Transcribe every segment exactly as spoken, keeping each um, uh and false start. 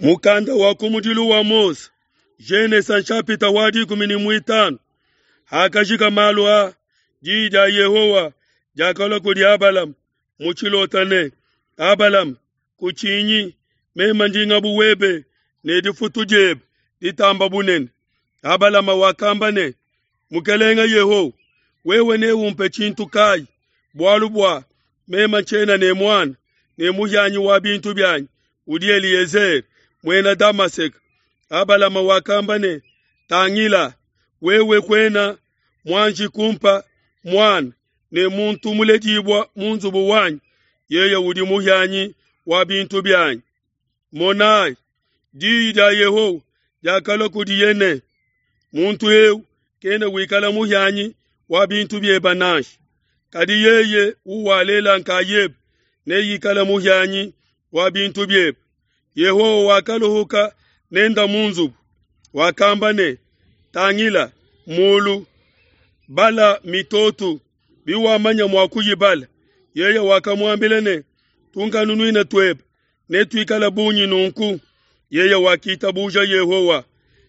Mukanda wa kumudilu wa Mose, Genesa nshapita wa dikumi ne muitanu. Hakajika malu a, diyi dia Yehowa diakalua kudi Abalama mu tshilota ne, Abalama, kutshinyi, meme ndi ngabu webe ne difutu diebe ditamba bunene. Abalama wakamba ne, Mukelenge Yehowa, wewe neumpe tshintu kayi? Bualu bua meme tshiena ne muana, ne muhianyi wa bintu bianyi udi Eliezere, muena Damaseke. Abalama wakamba ne, Tangila, wewe kuena muanji kumpa muana, ne muntu muledibua mu nzubu wanyi, yeye udi muhianyi wa bintu bianyi. Monai, diyi dia Yehowa diakalua kudiye ne, muntu eu kena wikala muhianyi wa bintu biebe nansha, kadi yeye uwalela nkayebe neikale muhianyi wa bintu biebe. Yehowa wakaluhuka nenda mu nzubu, wakamba ne, Tangila mulu, bala mitoto, biwamanya mua kuyibala. Yeye wakamuambila ne, Tunkanunuina tuebe netuikale bungi nunku. Yeye wakitabuja Yehowa,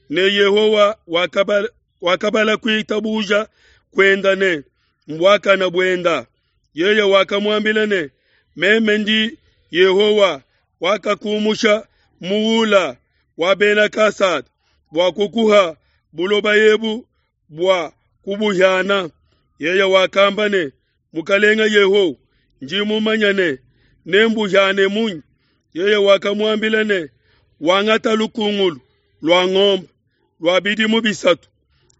ne Yehowa wakabala, wakabala kuitabuja kuenda ne mbuakana buenda. Yeye wakamuambila ne, Meme ndi Yehowa wakakumusha mu Ula wa Bena Kasada bua kukuha buloba ebu bua kubuhiana. Yeye wakamba ne, Mukelenge Yehowa, ndi mumanye ne nembuhiane munyi? Yeye wakamuambila ne, Wangata lukungulu lua ngombe lua bidimu bisatu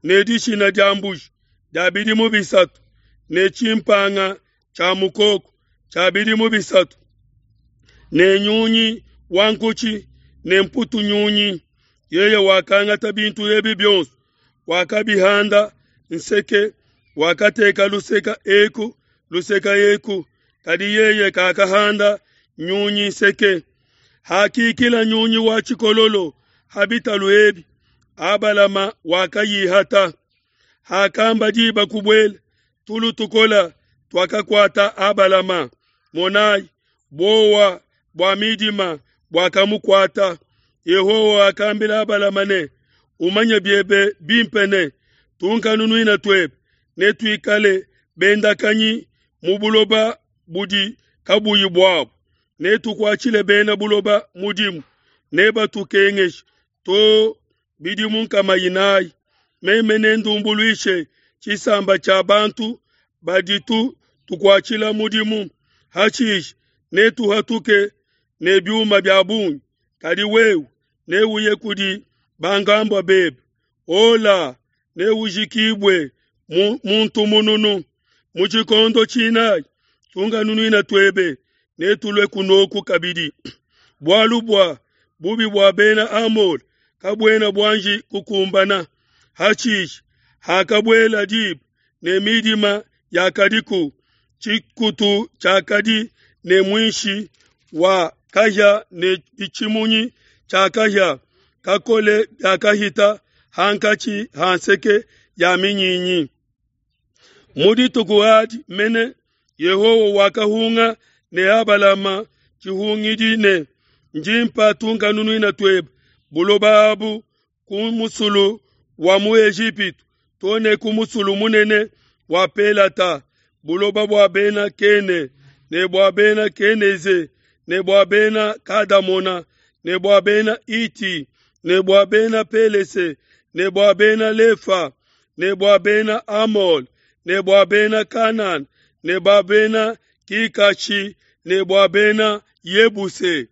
ne dishina dia mbuji dia bidimu bisatu ne tshimpanga tshia mukoko tshia bidimu bisatu ne nyunyi wa nkutshi ne mputu nyunyi. Yeye wakangata bintu ebi bionso, wakabihanda nseke, wakateka luseka eku luseka eku, kadi yeye kakahanda nyunyi nseke. Hakikila nyunyi wa tshikololo ha bitalu ebi, Abalama wakayihata. Hakamba diba kubuela, tulu tukola tuakakuata Abalama. Monai, buowa bua midima buakamukuata. Yehowa wakambila Abalama ne, Umanye biebe bimpe ne, tunkanunuina tuebe netuikale bendakanyi mu buloba budi kabuyi buabu, netukuatshile bena buloba mudimu, nebatukengeshe to bidimu nkama inayi. Meme nendumbuluishe tshisamba tshia bantu baditu tukuatshila mudimu, hashishe netuhatuke ne biuma bia bungi. Kadi wewe neuye kudi bankambua bebe, ola neujikibue mu muntu mununu. Mu tshikondo tshinayi tunkanunuina tuebe netulue kunoku kabidi, bualu bua bubi bua Bena Amole kabuena buanji kukumbana. Hashishe hakabuela diba ne midima yakadiku, tshikutu tshiakadi ne muinshi wa kahia ne tshimunyi tshia kahia kakole biakahita hankatshi ha nseke ya minyinyi. Mu dituku adi mene Yehowa wakahunga ne Abalama tshihungidi ne, Ndimpa tunkanunuina tuebe buloba abu ku musulu wa mu Ejipitu to ne ku musulu munene wa Pelata, buloba bua Bena Kene ne bua Bena Keneze ne bua Bena Kadamona ne bua Bena Iti ne bua Bena Pelese ne bua Bena Lefa ne bua Bena Amole ne bua Bena Kanana ne bua Bena Kikashi ne bua Bena Yebuse.